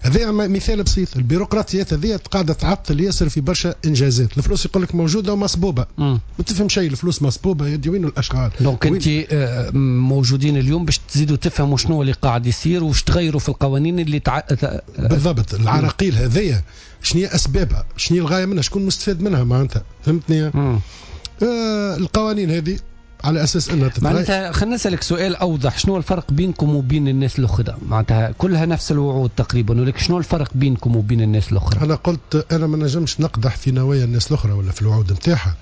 هذا مثال بسيط. البيروقراطيات هذه قاعدة تعطل ياسر في برشا انجازات. الفلوس يقول لك موجودة ومصبوبه، ما تفهم شيء، الفلوس مصبوبه، يدي وين الاشغال؟ donc انت موجودين اليوم باش تزيدوا تفهموا شنو اللي قاعد يصير وش تغيروا في القوانين اللي بالضبط. العراقيل هذيا شنو هي اسبابها؟ شنو هي الغاية منها؟ شكون مستفاد منها معناتها؟ فهمتني؟ القوانين هذه على اساس انها تتغير. معناتها خلينا نسالك سؤال اوضح، شنو الفرق بينكم وبين الناس الاخرى؟ معناتها كلها نفس الوعود تقريبا، ولكن شنو الفرق بينكم وبين الناس الاخرى؟ انا قلت انا ما نجمش نقدح في نوايا الناس الاخرى ولا في الوعود نتاعها.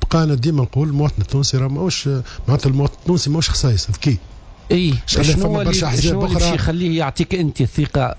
بقى انا ديما نقول المواطن التونسي راه ماهوش، معناتها المواطن التونسي ماهوش خسايس ذكي. اي شنو اللي باش يخليه يعطيك انت الثقة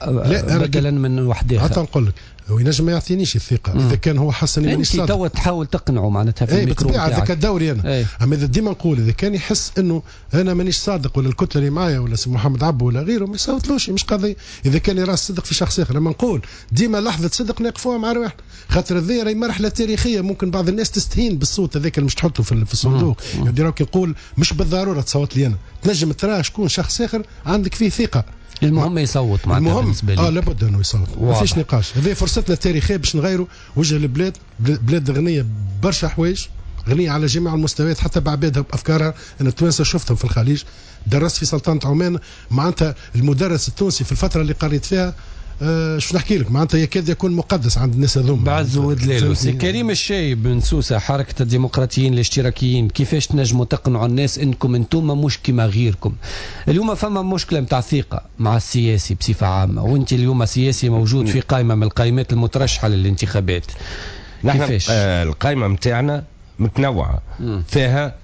بدلا من واحد اخر؟ حتى نقول لك هو ينجم ما يعطينيش الثقة اذا كان هو حس اني مانيش صادق. انت توا تحاول تقنعه معناتها في الميكرو بالطبيعة هذاك دوري انا. ايه. اما اذا ديما نقول اذا كان يحس انه انا مانيش صادق ولا الكتلة اللي معايا ولا سي محمد عبو ولا غيره ما يصوتلوش، مش قضية. اذا كان يرى الصدق في شخص اخر، لما نقول ديما لحظة صدق نقفوها مع رواحنا، خاطر هذه راهي مرحلة تاريخية، ممكن بعض الناس تستهين بالصوت هذاك اللي مش تحطه في الصندوق. يعني راك يقول مش بالضرورة تصوت لي انا، تنجم ترى شكون شخص اخر عندك فيه ثقة. المهم يصوت معناتها بالنسبة لي. لابد انه يصوت، ما فيش نقاش. هذه فرصتنا التاريخية باش نغيروا وجه البلاد، بلاد غنية برشا حوايج، غنية على جميع المستويات حتى بعبادها بافكارها. انا التوانسة شفتهم في الخليج، درست في سلطنة عمان، معناتها المدرس التونسي في الفترة اللي قريت فيها شو نحكي لك، معناتها يكاد يكون مقدس عند الناس هذوما. بعز ودلالو. سي كريم الشايب من سوسة، حركة الديمقراطيين الاشتراكيين، كيفاش تنجموا تقنعوا الناس انكم انتم مش كما غيركم؟ اليوم فما مشكلة نتاع ثقة مع السياسي بصفة عامة، وانت اليوم سياسي موجود في قائمة من القائمات المترشحه للانتخابات. نحن القائمة نتاعنا متنوعة، فيها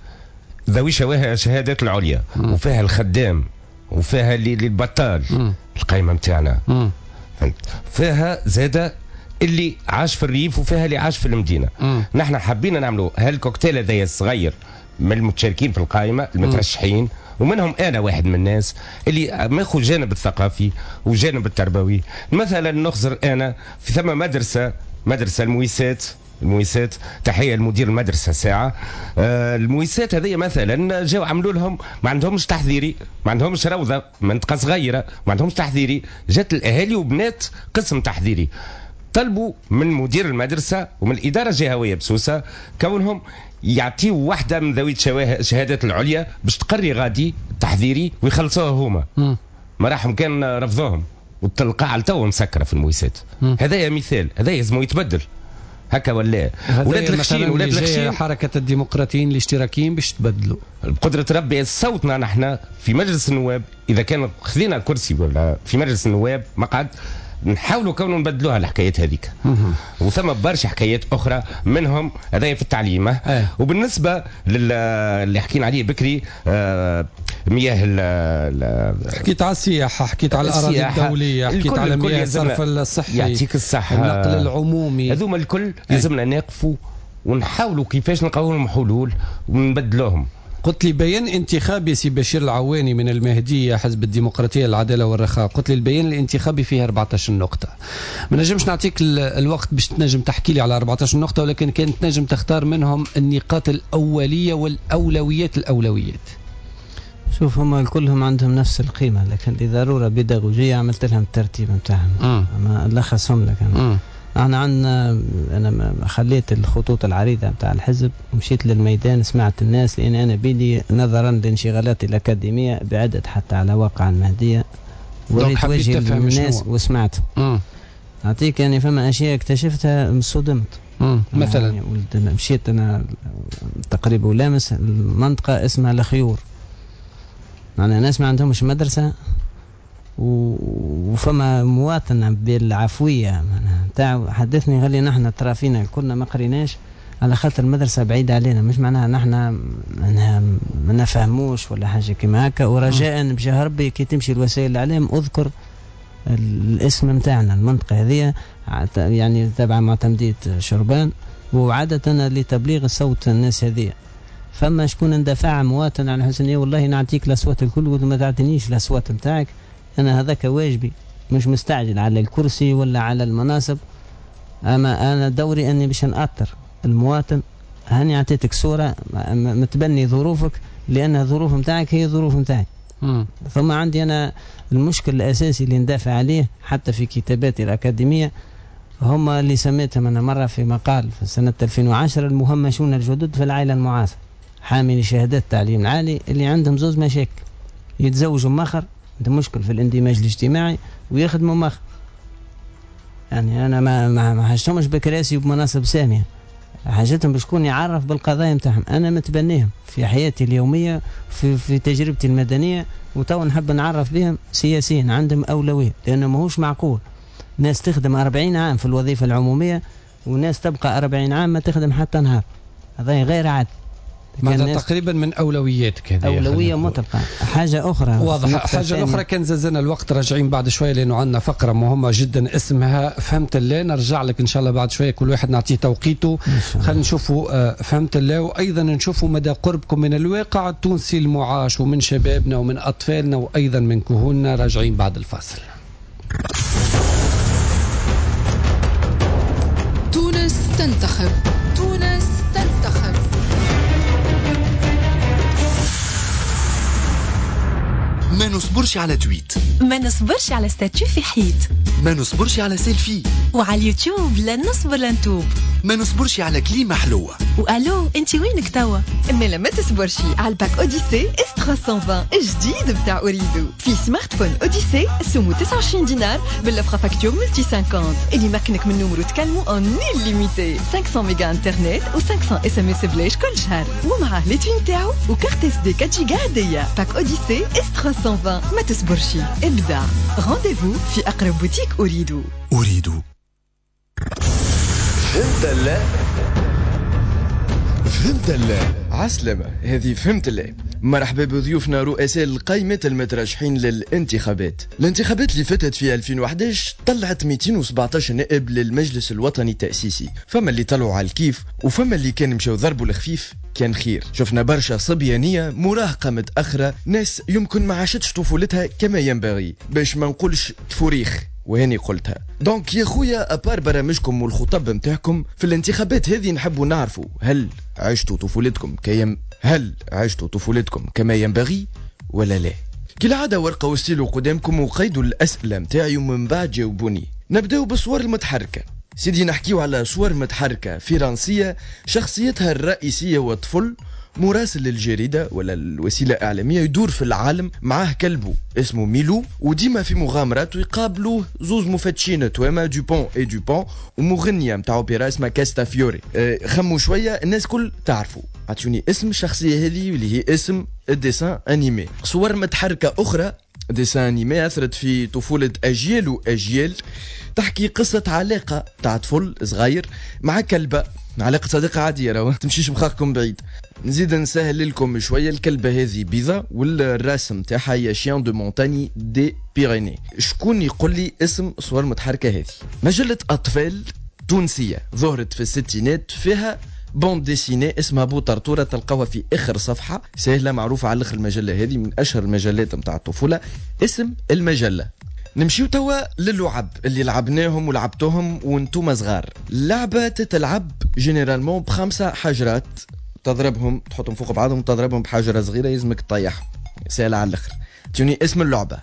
ذوي الشهادات العليا، وفيها الخدام، وفيها اللي البطال. القائمة نتاعنا فيها زادة اللي عاش في الريف وفيها اللي عاش في المدينة. نحن حبينا نعملوا هالكوكتيل هذايا الصغير من المتشاركين في القائمة المترشحين، ومنهم أنا واحد من الناس اللي ماخذ الجانب الثقافي وجانب التربوي. مثلا نخزر أنا في ثم مدرسة المويسات، تحية لمدير المدرسة ساعة. المويسات هذه مثلا جاو عملوا لهم، ما عندهمش تحذيري، ما عندهمش روضة، منطقة صغيرة ما عندهمش تحذيري. جات الأهالي وبنات قسم تحذيري، طلبوا من مدير المدرسة ومن الإدارة الجهوية بسوسة كونهم يعطيوا واحدة من ذوي الشهادات العليا باش تقري غادي تحذيري ويخلصوها هما. ما راحهم كان رفضوهم، والتلقاع لتو مسكرة في المويسات. هذا مثال، هذا لازم يتبدل هكا ولا. ولاد الخشين حركة الديمقراطيين الاشتراكيين باش تبدلوا بقدرة ربي صوتنا نحن في مجلس النواب. إذا كان خذينا كرسي ولا في مجلس النواب مقعد، نحاولوا كونوا نبدلوها الحكايات هذيك. وثم برشا حكايات أخرى منهم هذايا في التعليم. وبالنسبة للي حكينا عليه بكري، مياه حكيت على السياحة، حكيت على الأراضي الدولية، حكيت على مياه الصرف الصحي، يعطيك الصحة، النقل العمومي، هذوما الكل لازمنا نقفوا ونحاولوا كيفاش نلقاو لهم حلول ونبدلوهم. قلت لي بيان انتخابي سي بشير العواني من المهدية حزب الديمقراطية العدالة والرخاء، قلت لي البيان الانتخابي فيه 14 نقطة. ما نجمش نعطيك الوقت باش تنجم تحكي لي على 14 نقطة، ولكن كانت تنجم تختار منهم النقاط الأولية والأولويات الأولويات. شوف، هما كلهم عندهم نفس القيمة، لكن لضرورة بيداغوجية عملت لهم الترتيب نتاعهم، أما لخصهم لك أنا. احنا عندنا، انا خليت الخطوط العريضة نتاع الحزب ومشيت للميدان، سمعت الناس، لان انا بيدي نظرا لانشغالاتي الاكاديمية بعدت حتى على واقع المهدية، وريت وجهي للناس وسمعت. اعطيك يعني فما اشياء اكتشفتها صدمت. مثلا يعني مشيت انا تقريبا ولامس المنطقة اسمها الخيور، معناها ناس ما عندهمش مدرسه، وفما مواطنة بالعفوية تاع حدثني قال لي نحن ترافينا كنا ما قريناش على خاطر المدرسة بعيدة علينا، مش معناها نحن ما نفهموش ولا حاجة كيما هكا. ورجاء بجاه ربي كي تمشي لوسائل الإعلام أذكر الاسم نتاعنا، المنطقة هذه يعني تابعة معتمدية شربان، وعادة لتبليغ صوت الناس هذه. فما شكون اندفع مواطن على حسن والله نعطيك الأصوات الكل وما تعطينيش الأصوات نتاعك، أنا هذاك واجبي، مش مستعجل على الكرسي ولا على المناصب، أما أنا دوري أني باش نأثر المواطن. هاني أعطيتك صورة متبني ظروفك، لأن الظروف نتاعك هي ظروف نتاعي. ثم عندي أنا المشكل الأساسي اللي ندافع عليه حتى في كتاباتي الأكاديمية، هم اللي سميتهم أنا مرة في مقال في سنة 2010 المهمشون الجدد في العائلة المعاصرة، حاملي شهادات التعليم العالي اللي عندهم زوز مشاكل، يتزوجوا مأخر، عندهم مشكل في الاندماج الاجتماعي، ويخدموا مأخر. يعني أنا ما حاجتهمش بكراسي وبمناصب سامية، حاجتهم بشكون يعرف بالقضايا نتاعهم. أنا متبنيهم في حياتي اليومية، في تجربتي المدنية، وتو نحب نعرف بهم سياسيا، عندهم أولوية، لأنه ماهوش معقول ناس تخدم 40 عام في الوظيفة العمومية وناس تبقى 40 عام ما تخدم حتى نهار. هذا غير عادل. معناتها تقريبا من اولوياتك هذه، اولوية مطلقه. حاجة اخرى واضحة، حاجة اخرى كان زازنا الوقت، راجعين بعد شوية لانه عندنا فقره مهمة جدا اسمها فهمت الله، نرجع لك ان شاء الله بعد شوية، كل واحد نعطيه توقيته. خلينا نشوفوا فهمت الله، وايضا نشوفوا مدى قربكم من الواقع التونسي المعاش ومن شبابنا ومن اطفالنا وايضا من كهولنا. راجعين بعد الفاصل. تونس تنتخب، تونس تنتخب. ما نصبرش على tweet، ما نصبرش على statut في حيط، ما نصبرش على سيلفي، وعلى اليوتيوب لا نصبر لا نتوب، ما نصبرش على كليمة حلوة، والو انت وينك توا؟ مالا ما تصبرش على ال pack Odyssey S 320 الجديد بتاع أوريدو، في smartphone Odyssey سمو 29 دينار بال offre facture multi 50 اللي مكنك من numéro تكلمو en illimité، 500 ميجا انترنت و 500 SMS بلاش كل شهر، ومعاه les tweets نتاعو و carte SD 4 جيجا هدية. pack Odyssey S 320 ما تصبرش، ابدع. rendez-vous في اقرب بوتيك أوريدو. أوريدو. فهمت لا؟ فهمت لا؟ عسلامة، هذه فهمت لا. مرحبا بضيوفنا رؤساء القائمة المترشحين للانتخابات. الانتخابات اللي فاتت في 2011 طلعت 217 نائب للمجلس الوطني التأسيسي، فما اللي طلعوا على الكيف وفما اللي كان مشاو ضربوا الخفيف كان خير. شفنا برشا صبيانية مراهقة متأخرة، ناس يمكن ما عاشتش طفولتها كما ينبغي، باش ما نقولش تفوريخ، وهاني قلتها. donc يا خويا à part برامجكم والخطب نتاعكم في الانتخابات هذه، نحبوا نعرفوا هل عشتوا طفولتكم هل عشتوا طفولتكم كما ينبغي ولا لا؟ كالعادة ورقة وستيلو قدامكم وقيدوا الأسئلة متاعي ومن بعد جاوبوني. نبداو بالصور المتحركة. سيدي نحكيو على صور متحركة فرنسية شخصيتها الرئيسية وطفل مراسل للجريدة ولا الوسيلة الإعلامية يدور في العالم، معاه كلبه اسمه ميلو، وديما في مغامرات ويقابلوه زوز مفتشين توما دوبون اي دوبون ومغنية متاع أوبرا اسمها كاستافيوري. خموا شوية الناس كل تعرفوا، عطوني اسم الشخصية هذه واللي هي اسم ال dessin animé. صور متحركة أخرى dessin animé أثرت في طفولة أجيال وأجيال، تحكي قصة علاقة تاع طفل صغير مع كلبة، علاقة صديقة عادية راهو تمشيش بخاخكم بعيد. نزيد نسهل لكم شوية، الكلبة هذه بيضة والرسم تاعها هي chien de montagne des Pyrénées. شكون يقول لي اسم صور متحركة هذه؟ مجلة أطفال تونسية ظهرت في الستينات، فيها bande dessinée اسمها بو طرطورة، تلقاوها في آخر صفحة، سهلة معروفة على الآخر. المجلة هذه من أشهر المجلات نتاع الطفولة. اسم المجلة. نمشيو توا للعب اللي لعبناهم ولعبتوهم وانتم صغار. لعبة تتلعب généralement ب5 حجرات، تضربهم تحطهم فوق بعضهم، تضربهم بحجرة صغيرة يلزمك تطيحهم، سهلة على الآخر. توني اسم اللعبة.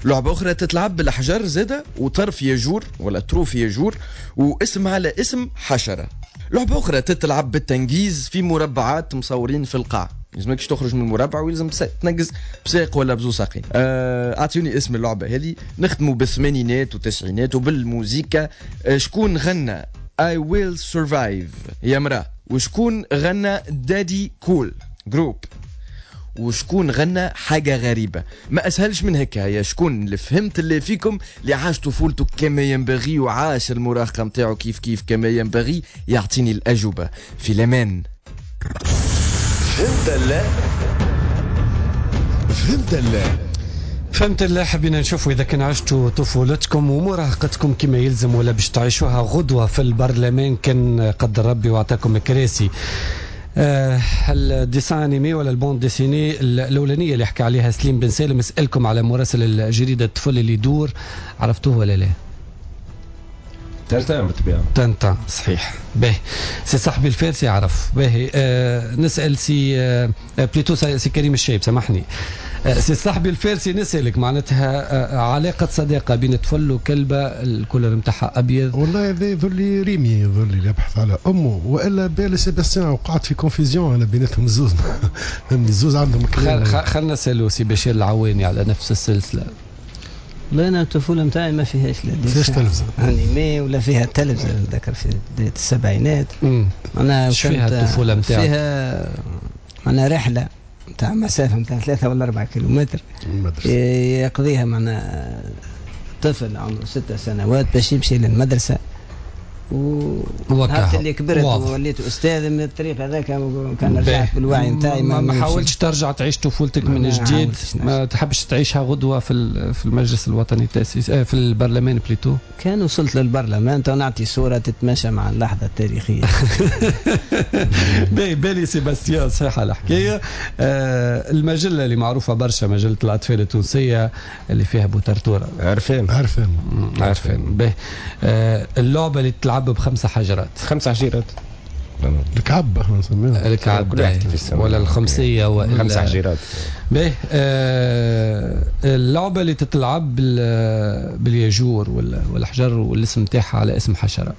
لعبة أخرى تتلعب بالأحجار زادة وطرف يجور ولا طروف يجور واسم على اسم حشرة. لعبة أخرى تتلعب بالتنجيز في مربعات مصورين في القاع، لازمكش تخرج من المربع ويلزم تنقز بساق ولا بزو ساقين. اعطوني اسم اللعبة هذه. نختموا بالثمانينات والتسعينات وبالموزيكا. شكون غنى I will survive يا مرأة؟ وشكون غنى Daddy Cool groupe؟ وشكون غنى حاجة غريبة؟ ما أسهلش من هكا. يا شكون اللي فهمت اللي فيكم اللي عاش طفولته كما ينبغي وعاش المراهقة متاعه كيف كيف كما ينبغي يعطيني الأجوبة في الأمان. فهمت لا؟ فهمت لا؟ فهمت لا. حبينا نشوفوا إذا كان عشتوا طفولتكم ومراهقتكم كما يلزم ولا باش تعيشوها غدوة في البرلمان كان قدر ربي وعطاكم كراسي. ال dessin animé ولا ال bande dessinée الاولانية اللي حكى عليها سليم بن سالم، اسالكم على مراسل الجريدة الطفل اللي يدور، عرفتوه ولا لا؟ تنتان بالطبيعة. تنتان صحيح. باهي سي صاحبي الفارسي عرف. باهي نسال سي plutôt سي كريم الشايب، سامحني سي صاحبي الفارسي، نسالك معناتها علاقة صداقه بين طفل وكلبه ال couleur نتاعها ابيض. والله هذا يظل ريمي، يظل اللي يبحث على امه، والا بيل سيباستيان، وقعت في confusion انا بيناتهم الزوز. الزوز عندهم كلام. خلينا نسالو سي بشير العواني على نفس السلسلة. لا انا الطفولة نتاعي ما فيهاش لا فيهاش تلفزه animé ولا فيها تلفزه، نذكر في بداية السبعينات. انا فيها الطفولة نتاعك فيها معنا رحله نتاع مسافة نتاع 3 ولا 4 كيلومتر يقضيها معنا طفل عمره 6 سنوات باش يمشي للمدرسة. ونهار اللي كبرت ووليت استاذ من الطريق هذاك كان رجعت بالوعي نتاعي. ما حاولتش ترجع تعيش طفولتك من جديد؟ ما تحبش تعيشها غدوه في المجلس الوطني التاسيسي، في البرلمان plutôt؟ كان وصلت للبرلمان نعطي صوره تتماشى مع اللحظة التاريخية. بالي سيباستيان صحيحه الحكاية. المجلة اللي معروفة برشا، مجلة الاطفال التونسية اللي فيها بوترتوره. عارفين عارفين عارفين. باهي اللعبة اللي تلعب ب5 حجرات. 5 حجرات الكعب احنا نسميها الكعب ولا الخمسيه ولا 5 حجرات. باهي اللعبة اللي تتلعب بالياجور والحجر والاسم تاعها على اسم حشرة.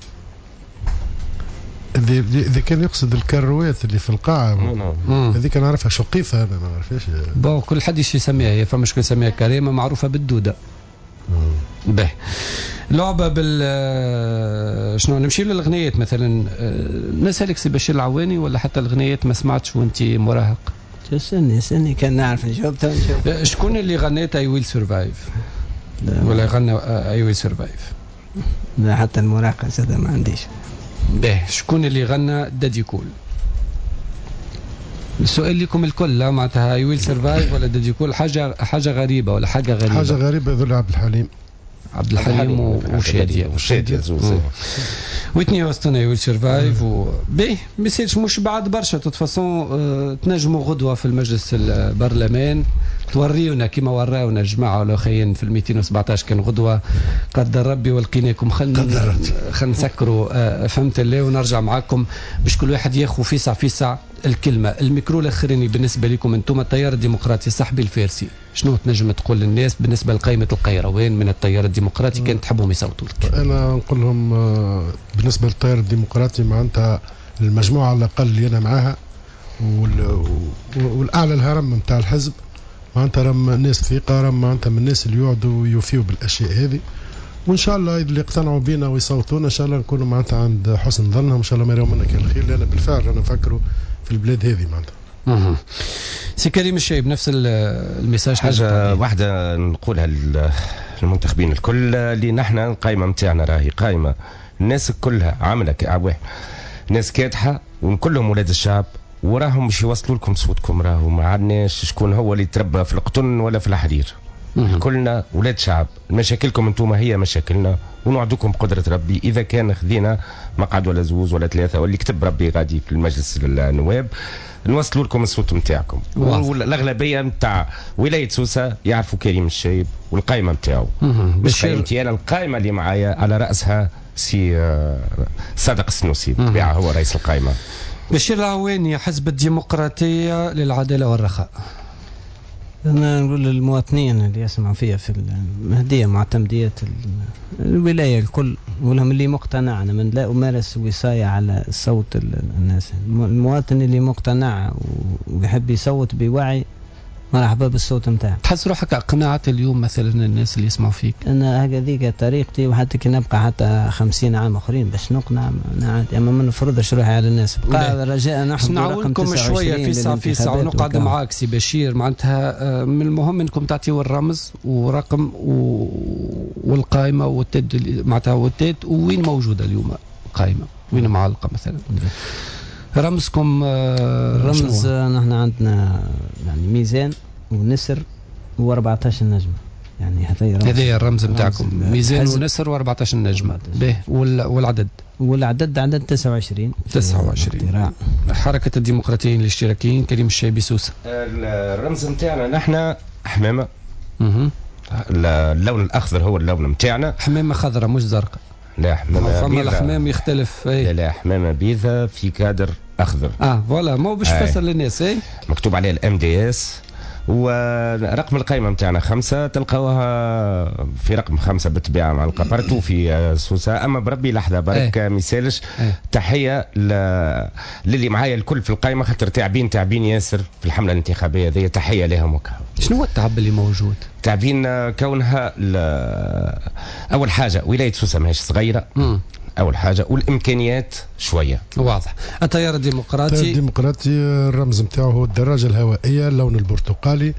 اذا كان يقصد الكروات اللي في القاعة هذيك نعرفها شقيفة، انا ما نعرفهاش. bon كل حد يسميها، هي فما شكون يسميها كريمة معروفة بالدوده. باهي لعبه بال شنو نمشي للغنيات مثلا. نسالك سي بشير العواني ولا حتى الغنيات ما سمعتش وانت مراهق؟ استني كان نعرف نجاوب. شكون اللي غنيت I will survive؟ ولا غنى I will survive؟ لا حتى المراهقة زاد ما عنديش. باهي شكون اللي غنى Daddy Cool؟ السؤال لكم الكل، لا معناتها I will survive ولا Daddy Cool، حاجة غريبة ولا حاجة غريبة؟ حاجة غريبة ذو عبد الحليم. عبد الحليم وشادية. وشادية زوز. ويتني هيوستن I will survive. باهي ما يصيرش مش بعد برشا toute façon، تنجموا غدوه في المجلس البرلمان توريونا كما وراونا الجماعة الاخرين في 217 كان غدوه قدر ربي ولقيناكم. خلينا نسكروا فهمت الله ونرجع معاكم باش كل واحد ياخذ فيسع فيسع الكلمة. الميكرو الاخراني بالنسبة لكم انتم التيار الديمقراطي، صاحبي الفارسي، شنو تنجم تقول للناس بالنسبة لقائمة القيروان من التيار الديمقراطي كان تحبهم يصوتوا لك؟ انا نقول لهم بالنسبة للتيار الديمقراطي معناتها المجموعة على الاقل اللي انا معاها والاعلى الهرم نتاع الحزب معناتها راهم ناس ثقة، راهم معناتها من الناس اللي يقعدوا ويوفيوا بالاشياء هذه، وان شاء الله اللي يقتنعوا بينا ويصوتونا ان شاء الله نكونوا معناتها عند حسن ظنهم، ان شاء الله ما يراو منا كان الخير، لان بالفعل رانا نفكروا في البلاد هذه معناتها. سي كريم الشايب نفس ال message. حاجة واحدة نقولها للمنتخبين الكل، اللي نحن القائمة نتاعنا راهي قائمة الناس كلها عامله واحد، ناس كادحه وكلهم ولاد الشعب، وراهم باش يوصلوا لكم صوتكم، راهو ما عندناش شكون هو اللي تربى في القطن ولا في الحرير. كلنا ولاد شعب، مشاكلكم انتم هي مشاكلنا، ونوعدكم بقدرة ربي إذا كان خذينا مقعد ولا زوز ولا 3 واللي كتب ربي غادي في المجلس النواب نوصلوا لكم الصوت نتاعكم. والأغلبية نتاع ولاية سوسة يعرفوا كريم الشايب والقائمة نتاعو، مش قائمتي أنا، القائمة اللي معايا على رأسها سي صادق السنوسي بالطبيعة هو رئيس القائمة. بشير العواني، حزب الديمقراطية للعدالة والرخاء. أنا نقول للمواطنين اللي يسمعوا فيها في المهدية معتمدية الولاية الكل، ولهم اللي مقتنع، أنا من لا أمارس وصاية على صوت الناس، المواطن اللي مقتنع ويحب يصوت بوعي مرحبا بالصوت نتاعك. تحس روحك اقنعت اليوم مثلا الناس اللي يسمعوا فيك؟ انا هكذيك طريقتي، وحتى كي نبقى حتى 50 عام اخرين باش نقنع عادي، اما ما نفرضش روحي على الناس. بقى رجاء نحن نعاونكم شوية في ساعة في ساعة ونقعد معاك سي بشير. معناتها من المهم انكم تعطيو الرمز ورقم والقائمه والتد، معناتها والتد وين موجودة اليوم القائمة، وين معلقه مثلا رمزكم؟ الرمز نحن عندنا يعني ميزان ونسر و14 نجمه، يعني هذا الرمز نتاعكم، ميزان ونسر و14 نجمه. به والعدد؟ والعدد عدد 29. 29. حركة الديمقراطيين الاشتراكيين، كريم الشايبي سوسة. الرمز نتاعنا نحن حمامه. اللون الاخضر هو اللون نتاعنا. حمامه خضراء مش زرقاء. لا حمامه فما الحمام يختلف. لا لا، حمامه بيضاء في كادر اخضر. voilà، مو باش تفسر للناس. اي مكتوب عليه ال MDS ورقم القائمة نتاعنا 5، تلقاوها في رقم 5 بالطبيعة مع partout في سوسة. اما بربي لحظة برك ما يسالش، تحية للي معايا الكل في القائمة، خاطر تعبين تعبين ياسر في الحملة الانتخابية هذه، تحية لهم وكهو. شنو هو التعب اللي موجود؟ تعبين كونها اول حاجة ولاية سوسة ماهيش صغيرة. اول حاجة، والامكانيات شوية. واضح. التيار الديمقراطي. التيار الديمقراطي الرمز نتاعو هو الدراجة الهوائيه، اللون البرتقالي.